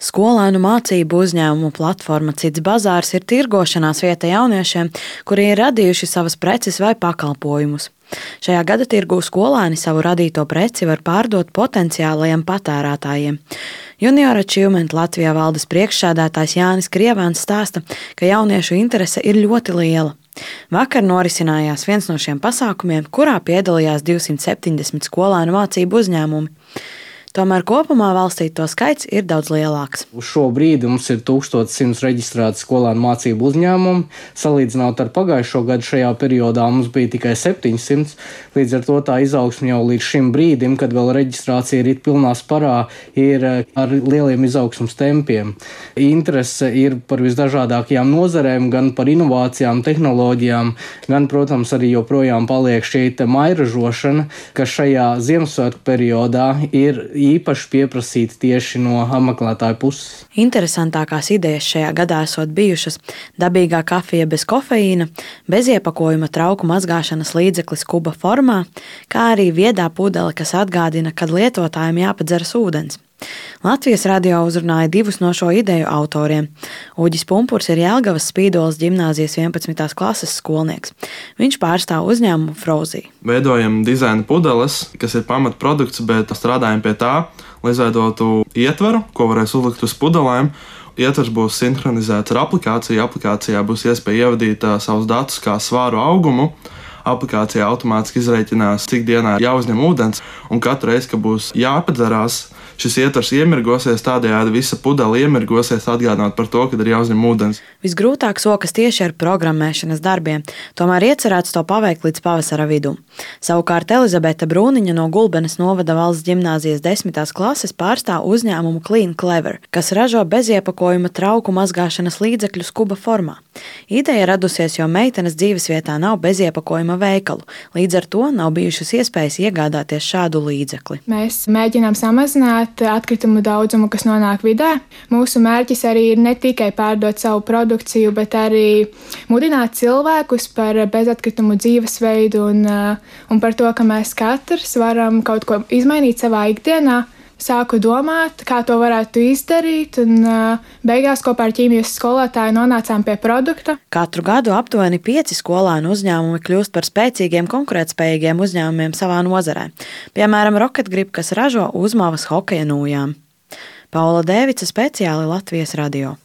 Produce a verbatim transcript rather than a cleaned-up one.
Skolēnu mācību uzņēmumu platforma Cits bazārs ir tirgošanās vieta jauniešiem, kuri ir radījuši savas preces vai pakalpojumus. Šajā gada tirgū skolēni savu radīto preci var pārdot potenciālajiem patērētājiem. Junior Achievement Latvijā valdes priekšsēdētājs Jānis Krievāns stāsta, ka jauniešu interese ir ļoti liela. Vakar norisinājās viens no šiem pasākumiem, kurā piedalījās divsimt septiņdesmit skolēnu mācību uzņēmumi. Tomēr kopumā valstī to skaits ir daudz lielāks. Uz šo brīdi mums ir tūkstoš simts reģistrēti skolēnu mācību uzņēmumi. Salīdzinot ar pagājušo gadu šajā periodā mums bija tikai septiņsimt. Līdz ar to tā izaugsme jau līdz šim brīdim, kad vēl reģistrācija ir pilnā sparā, ir ar lieliem izaugsmes tempiem. Interese ir par visdažādākajām nozarēm, gan par inovācijām, tehnoloģijām, gan, protams, arī joprojām paliek šī mairažošana, kas šajā Ziemassvētku periodā ir īpaši pieprasīti tieši no apmeklētāju puses. Interesantākās idejas šajā gadā esot bijušas dabīgā kafija bez kofeīna, bez iepakojuma trauku mazgāšanas līdzeklis kuba formā, kā arī viedā pudele, kas atgādina, kad lietotājiem jāpadzeras ūdens. Latvijas radio uzrunāja divus no šo ideju autoriem. Uģis Pumpurs ir Jelgavas Spīdoles ģimnāzijas vienpadsmitās klases skolnieks. Viņš pārstāv uzņēmumu Frozī. Veidojam dizaina pudeles, kas ir pamatprodukts, bet strādājam pie tā, lai izveidotu ietvaru, ko varēs uzlikt uz pudelēm. Ietvers būs sinhronizēts ar aplikāciju. Aplikācijā būs iespēja ievadīt uh, savus datus kā svāru augumu. Aplikācijā automātiski izreikinās, cik dienā jāuzņem ūdens, un katru reizi, kad būs jāpadzerās, šis ietvers iemirgosies, tādējādi visa pudele iemirgosies, atgādinot par to, kad ir jāuzņem ūdens. Visgrūtāk sokas tieši ar programmēšanas darbiem, tomēr iecerēts to paveikt līdz pavasara vidum. Savukārt Elizabete Brūniņa no Gulbenes novada valsts ģimnāzijas desmitās klases pārstāv uzņēmumu Clean Clever, kas ražo beziepakojuma trauku mazgāšanas līdzekļus kuba formā. Ideja radusies, jo meitenes dzīvesvietā nav beziepakojuma veikalu, līdz ar to nav bijušas iespējas iegādāties šādu līdzekli. Mēs mēģinām samazināt atkritumu daudzumu, kas nonāk vidē. Mūsu mērķis arī ir ne tikai pārdot savu produkciju, bet arī mudināt cilvēkus par bezatkritumu dzīvesveidu un, un par to, ka mēs katrs varam kaut ko izmainīt savā ikdienā. Sāku domāt, kā to varētu izdarīt, un beigās kopā ar ķīmijas skolotāju nonācām pie produkta. Katru gadu aptuveni pieci skolēnu uzņēmumi kļūst par spēcīgiem, konkurētspējīgiem uzņēmumiem savā nozarē. Piemēram, Rocket Grip, kas ražo uzmāvas hokeja nūjām. Paula Dēvica, speciāli Latvijas radio.